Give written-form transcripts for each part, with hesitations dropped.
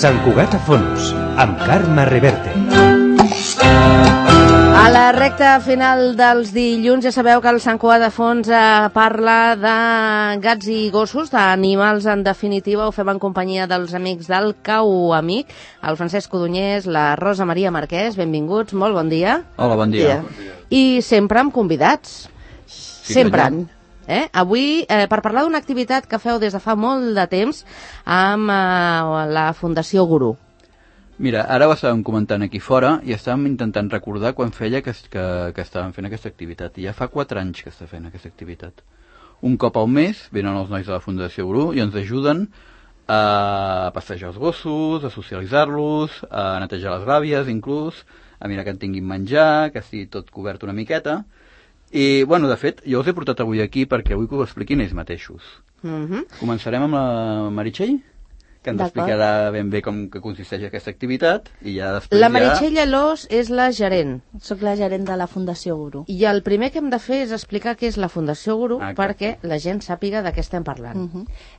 Sant Cugat a Fons, amb Carme Reverte. A la recta final dels dilluns ja sabeu que el Sant Cugat de Fons parla de gats i gossos, d'animals en definitiva. Ho fem en companyia dels amics del Cau Amic, el Francesc Codonyés, la Rosa Maria Marquès. Benvinguts, molt bon dia. Hola, bon dia. I sempre amb convidats. Sí, sempre. Avui, per parlar d'una activitat que feu des de fa molt de temps amb la Fundació Gurú. Mira, ara ho estàvem comentant aquí fora i estàvem intentant recordar quan feia que estàvem fent aquesta activitat. I ja fa 4 anys que està fent aquesta activitat. Un cop al mes venen els nois de la Fundació Gurú i ens ajuden a passejar els gossos, a socialitzar-los, a netejar les gàbies inclús, a mirar que en tinguin menjar, que estigui tot cobert una miqueta. I, bueno, de fet, jo us he portat avui aquí perquè vull que ho expliquin ells mateixos. Començarem amb la Meritxell, que ens explicarà ben bé com que consisteix aquesta activitat, i ja després La Meritxell Llalós és la gerent. Soc la gerent de la Fundació Gurú. I el primer que hem de fer és explicar què és la Fundació Gurú perquè la gent sàpiga de què estem parlant.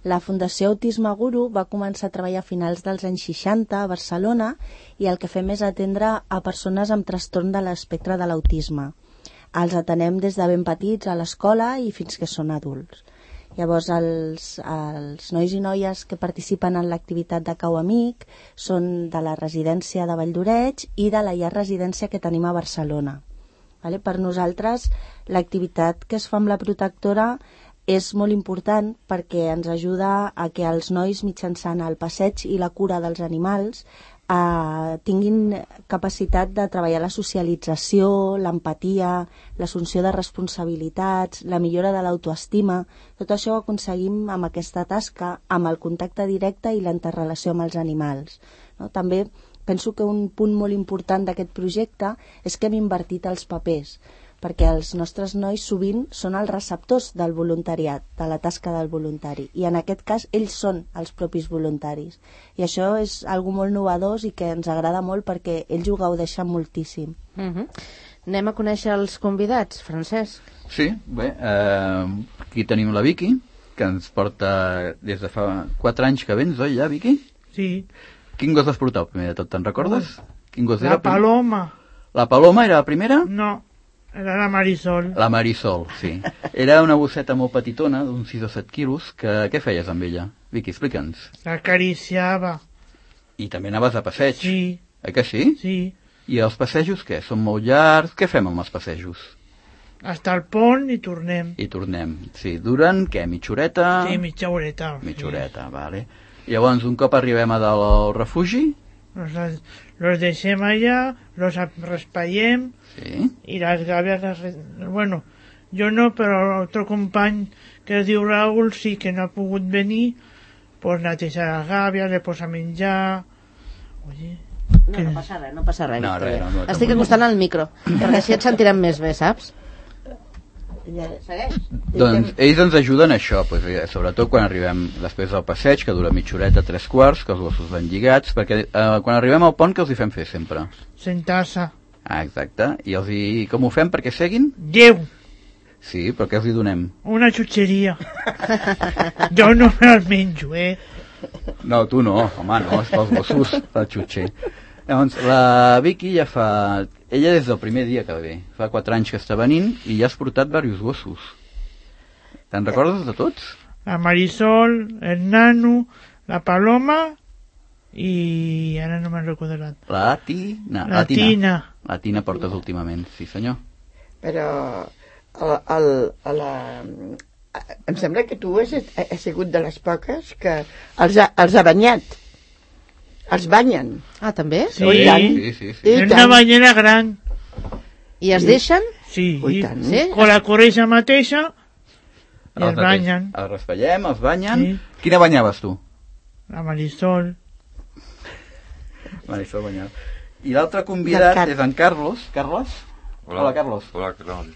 La Fundació Autisme Gurú va començar a treballar a finals dels anys 60 a Barcelona i el que fem és atendre a persones amb trastorn de l'espectre de l'autisme. Els atenem des de ben petits a l'escola i fins que són adults. Llavors, els nois i noies que participen en l'activitat de Cau Amic són de la residència de Valldoreix i de la llar residència que tenim a Barcelona. Per nosaltres, l'activitat que es fa amb la protectora és molt important perquè ens ajuda a que els nois, mitjançant el passeig i la cura dels animals, tinguin capacitat de treballar la socialització, l'empatia, l'assumpció de responsabilitats, la millora de l'autoestima. Tot això ho aconseguim amb aquesta tasca, amb el contacte directe i la interrelació amb els animals. També penso que un punt molt important d'aquest projecte és que hem invertit els papers, perquè els nostres nois sovint són els receptors del voluntariat, de la tasca del voluntari, i en aquest cas ells són els propis voluntaris. I això és algo molt novedós i que ens agrada molt perquè ells ho gaudeixen moltíssim. Anem a conèixer els convidats, Francesc. Sí, bé, aquí tenim la Vicky, que ens porta des de fa 4 anys que vens, oi, ja, Vicky? Sí. Quin gos vas portar, primer de tot, te'n recordes? Quin gos era? La Paloma. La Paloma era la primera? No, era la Marisol. La Marisol, sí. Era una bosseta molt petitona, d'uns 6 o 7 quilos. Què feies amb ella? Vicky, explica'ns. L'acariciava. I també anaves a passeig? Sí. Que sí? Sí. I els passejos què? Són molt llargs? Què fem amb els passejos? Hasta el pont i tornem. I tornem. Sí, duren, què, mitja horeta? Sí, mitja horeta. Mitja horeta, vale. Llavors, un cop arribem a dalt al refugi... Los deixem allà, los raspallem, sí. I les gàbies... Bueno, jo no, però l'altre company que es diu Raül sí que no ha pogut venir, pues netejar les gàbies, le posa a menjar... Oye... No passa res, no passa res. No, no, estic acostant al micro, perquè així et sentirem més bé, saps? Segueix. Doncs ells ens ajuden a això, sobretot quan arribem després del passeig, que dura mitja horeta, 3/4, que els gossos van lligats, perquè quan arribem al pont, què els hi fem fer sempre? Sentar-se. Exacte. I com ho fem perquè seguin? 10. Sí, però què els hi donem? Una xutxeria. Jo no me les menjo, No, tu no, home, no, és pels gossos, el xutxer. Llavors, la Vicky ja fa... Ella des del primer dia que ve. Fa 4 anys que està venint i ja has portat diversos gossos. Te'n recordes de tots? La Marisol, el Nano, la Paloma i... ara no me'n recordo l'altre. La Tina. La Tina portes últimament, sí senyor. Però em sembla que tu has sigut de les poques que els ha banyat. Els banyen. Ah, també? Sí, sí. És una banyera gran. I es deixen? Sí, sí? Con la corretja mateixa i els banyen. Els raspallem, els banyen. Sí. Quina banyaves tu? La Marisol. Marisol banyava. I l'altre convidat és en Carlos. Carlos? Hola, Carlos. Hola, Carlos.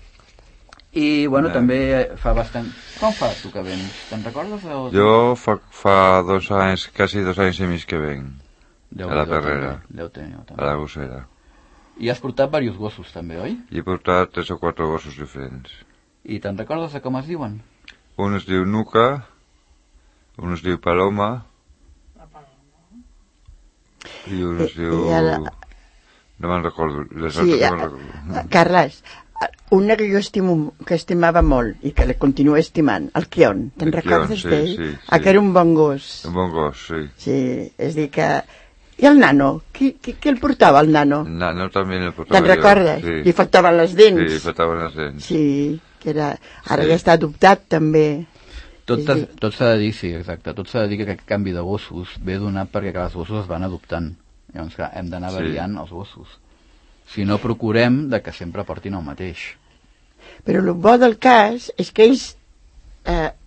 I, bueno, també fa bastant... Com fa tu que vens? Te'n recordes? Jo fa 2 anys, quasi 2 anys i mig que venc. A la Perrera, a la Gossera. I has portat diversos gossos també, oi? I he portat 3 o 4 gossos diferents. I te'n recordes de com es diuen? Un es diu Nuca, un es diu Paloma, I un es diu... No me'n recordo. Carles, una que jo estimava molt i que la continuo estimant, el Kion. Te'n recordes d'ell? Sí. Que era un bon gos. Un bon gos, sí. Sí, és dir que... I el nano? Qui el portava, el nano? El nano també el portava. Te'n recordes? Sí. Li faltaven les dents. Sí, li faltaven les dents. Sí, que era... Ara ja està adoptat, també. Tot s'ha de dir, sí, exacte. Tot s'ha de dir que aquest canvi de gossos ve donat perquè els gossos es van adoptant. Llavors, clar, hem d'anar variant els gossos. Si no, procurem de que sempre portin el mateix. Però el bo del cas és que ells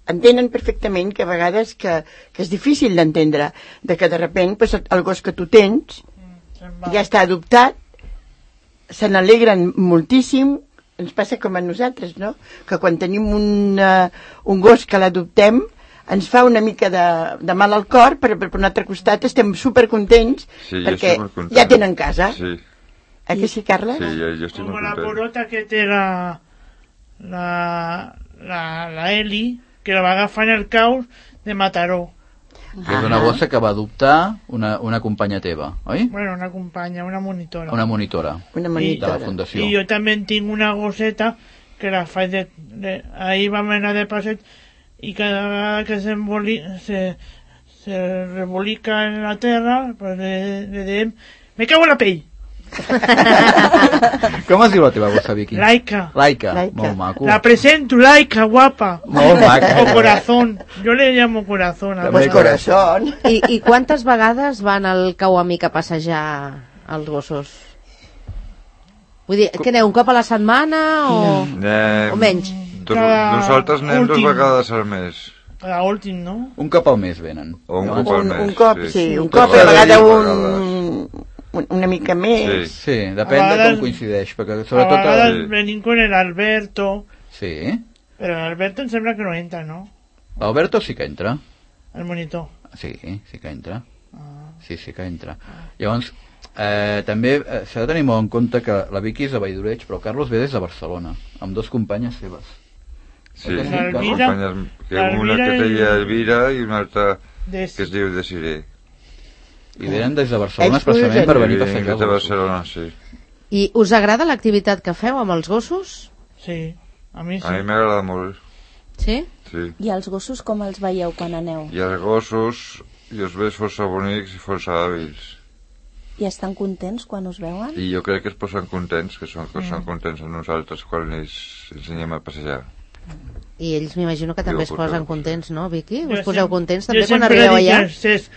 entenen perfectament que a vegades que és difícil d'entendre, de que de repent pues, el gos que tu tens ja està adoptat, se n'alegren moltíssim. Ens passa com a nosaltres, no? Que quan tenim un gos que l'adoptem ens fa una mica de mal al cor, però per un altre costat estem supercontents perquè ja tenen casa. Sí. Que sí, Carles? Sí, jo estic molt content. Com la porota que té la Eli, que la va agafar en el caus de Mataró. Que és una gossa que va adoptar una companya teva, oi? Bueno, una companya, una monitora. Una monitora. De la fundació. I jo també tinc una gosseta que la faig ahir vam anar de passeig i cada vegada que se rebolica en la terra pues le diem me cago en la pell. Com es diu la teva gossa, Vicky? Laika. Molt maco. La presento, Laika, guapa. Molt maca. O corazón. Yo le llamo corazón. Pues corazón. I quantes vegades van al cau amic a passejar els gossos? Vull dir, què aneu, un cop a la setmana o menys? Nosaltres anem 2 vegades al mes. Cada últim, no? Un cop al mes venen. O un cop al mes. Un cop, sí. Un cop, a vegada una mica més. Sí, depèn de com coincideix. Perquè sobretot a vegades venim con el Alberto. Sí. Però l'Alberto em sembla que no entra, no? L'Alberto sí que entra. El monitor. Sí que entra. Sí que entra. Llavors, també s'ha de tenir molt en compte que la Vicky és de Valldoreig, però Carlos ve des de Barcelona, amb 2 companyes seves. Sí, companyes, una que es deia Elvira i una altra que es diu Desiree. I venen des de Barcelona especialment per venir a passejar els gossos. Sí. I us agrada l'activitat que feu amb els gossos? Sí, a mi sí. A mi m'agrada molt. Sí? Sí. I els gossos com els veieu quan aneu? I els gossos jo els veig força bonics i força hàbils. I estan contents quan us veuen? I jo crec que es posen contents, que són contents amb nosaltres quan els ensenyem a passejar. I ells m'imagino que també es posen contents, no, Vicky? Us Jo poseu contents també quan sempre arribeu dic allà? al Cesc,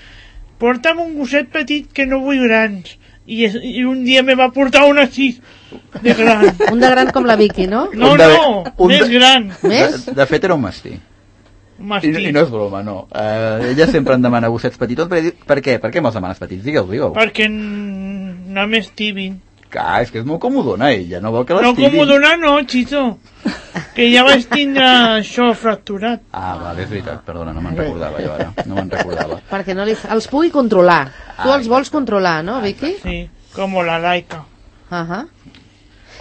porta'm un gosset petit que no vull grans. I un dia me va portar un així de gran. Un de gran com la Vicky, no? No, més gran. Més? De fet era un mastí. I no és broma, no. Ella sempre em demana gossets petitons. Per què? Per què me'ls demanes petits? Digue'l. Perquè no m'estibin. Clar, és que és molt comodona ella, no vol que l'estibin. No, comodona no, Xito. Que ja vaig tindre això fracturat. Vale, és veritat, perdona, no me'n recordava jo ara. No me'n recordava. Perquè no els pugui controlar. Tu els vols controlar, no, Vicky? Sí, com la Laika.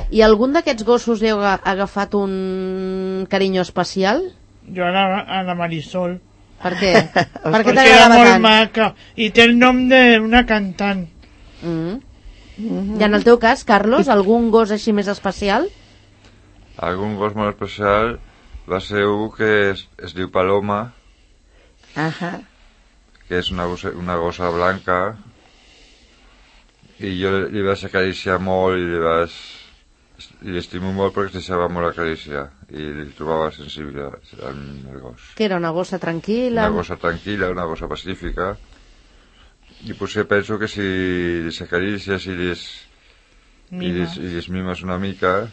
I algun d'aquests gossos heu agafat un carinyo especial? Jo a la Marisol. Per què? Perquè era molt maca i té el nom d'una cantant. I en el teu cas, Carlos, algun gos així més especial? Algun gos molt especial va ser un que es diu Paloma, que és una gossa blanca, i jo li vaig acariciar molt i l'estimo molt perquè es deixava molt acariciar i li trobava sensible al gos. Que era una gossa tranquil·la? Una gossa tranquil·la, una gossa pacífica, i potser penso que si les acarícies i les mimes una mica,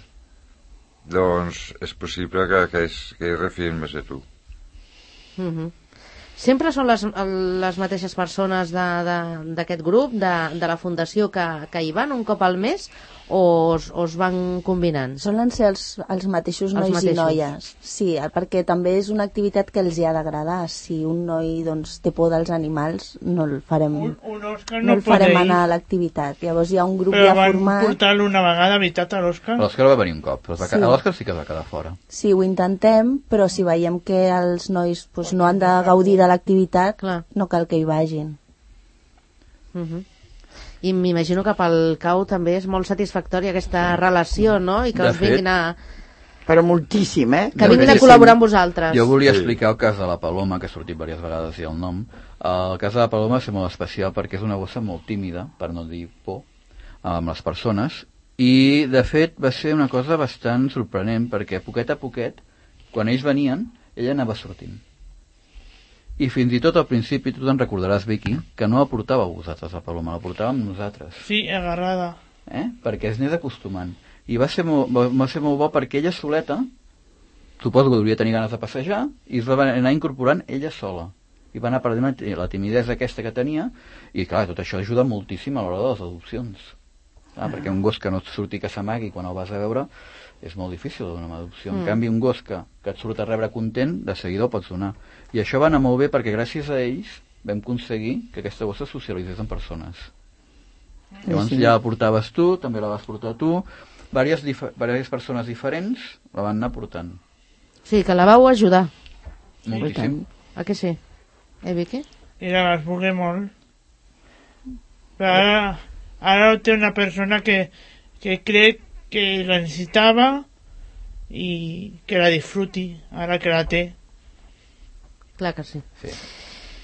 doncs és possible que es refien més de tu. Sempre són les mateixes persones d'aquest grup, de la fundació, que hi van un cop al mes, o es van combinant? Solen ser els mateixos nois i noies. Sí, perquè també és una activitat que els hi ha d'agradar. Si un noi té por dels animals, no el farem, no el farem anar a l'activitat. Llavors hi ha un grup ja format. Però van portar-lo una vegada, veritat, a l'Òscar? L'Òscar va venir un cop, però l'Òscar sí que va quedar fora. Sí, ho intentem, però si veiem que els nois no han de gaudir de l'activitat, no cal que hi vagin. I m'imagino que pel cau també és molt satisfactòria aquesta relació, no? I que us vinguin a... Però moltíssim, Que vinguin a col·laborar amb vosaltres. Jo volia explicar el cas de la Paloma, que ha sortit diverses vegades i el nom. El cas de la Paloma és molt especial perquè és una gossa molt tímida, per no dir por, amb les persones, i de fet va ser una cosa bastant sorprenent perquè poquet a poquet, quan ells venien, ella anava sortint. I fins i tot al principi, tu te'n recordaràs, Vicky, que no la portàveu vosaltres, la Paloma, la portàvem nosaltres. Sí, agarrada. Perquè es anés acostumant. I va ser molt bo perquè ella soleta, suposo que devia tenir ganes de passejar, i es va anar incorporant ella sola. I va anar perdent la timidesa aquesta que tenia, i clar, tot això ajuda moltíssim a l'hora de les adopcions. Perquè un gos que no et surti que s'amagui quan el vas a veure és molt difícil de donar una adopció. En canvi, un gos que et surt a rebre content, de seguida el pots donar. I això va anar molt bé perquè gràcies a ells vam aconseguir que aquesta gossa socialitzés amb persones. Llavors ja la portaves tu, també la vas portar tu, diverses persones diferents la van anar portant. Sí, que la vau ajudar. Moltíssim. A que sí? Vicky? I la vas voler molt. Però ara té una persona que crec que la necessitava i que la disfruti, ara que la té. Clar que sí.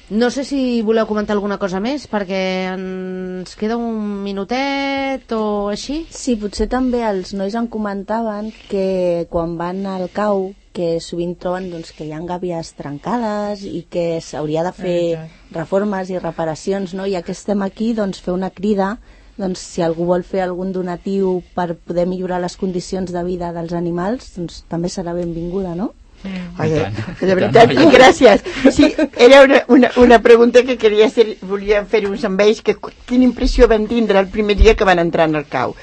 No sé si voleu comentar alguna cosa més, perquè ens queda un minutet o així. Sí, potser també els nois em comentaven que quan van al cau, que sovint troben doncs, que hi ha gàbies trencades i que s'hauria de fer reformes i reparacions, no? I ja que estem aquí, doncs, fer una crida, doncs, si algú vol fer algun donatiu per poder millorar les condicions de vida dels animals, doncs també serà benvinguda, no? De veritat, gràcies. Sí, era una pregunta que volia fer-vos amb ells, que quina impressió van tindre el primer dia que van entrar en el cau.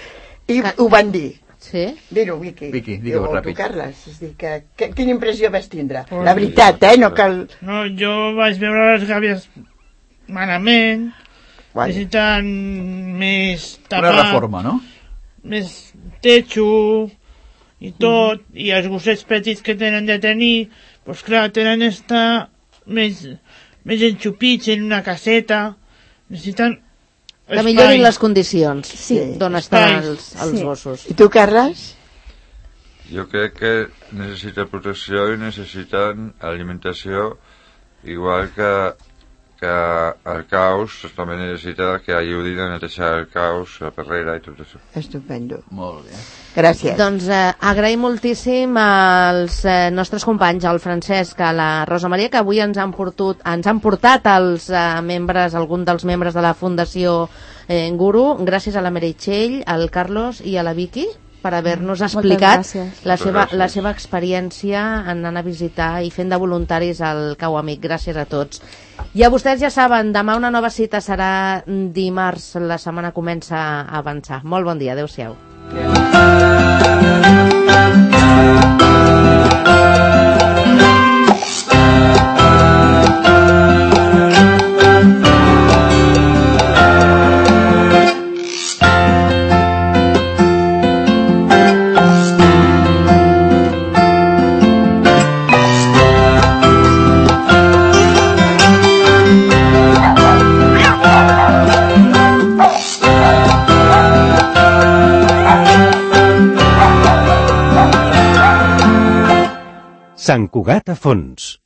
I ho van dir. Sí? Dir-ho, Vicky. Vicky, digue-ho ràpid. Tu, Carles. És dir, quina impressió vas tindre? La veritat, no cal... No, jo vaig veure les gàbies malament, necessiten més tapat, una reforma, no? més techo i tot, i els gossets petits que tenen de tenir, doncs clar, tenen d'estar més enxupits en una caseta, necessiten que millorin les condicions d'on estan els gossos. I tu, Carles? Jo crec que necessita protecció i necessiten alimentació, igual que el caus també necessita que ajudin a netejar el caus, la perrera i tot això. Estupendo. Molt bé. Gràcies. Doncs agraïm moltíssim als nostres companys, al Francesc, a la Rosa Maria, que avui ens han portat els membres, algun dels membres de la Fundació Guru. Gràcies a la Meritxell, al Carlos i a la Vicky per haver-nos explicat la seva experiència anant a visitar i fent de voluntaris al Cau Amic. Gràcies a tots. I a vostès ja saben, demà una nova cita serà dimarts, la setmana comença a avançar. Molt bon dia, adeu-siau. Sant Cugat a fons.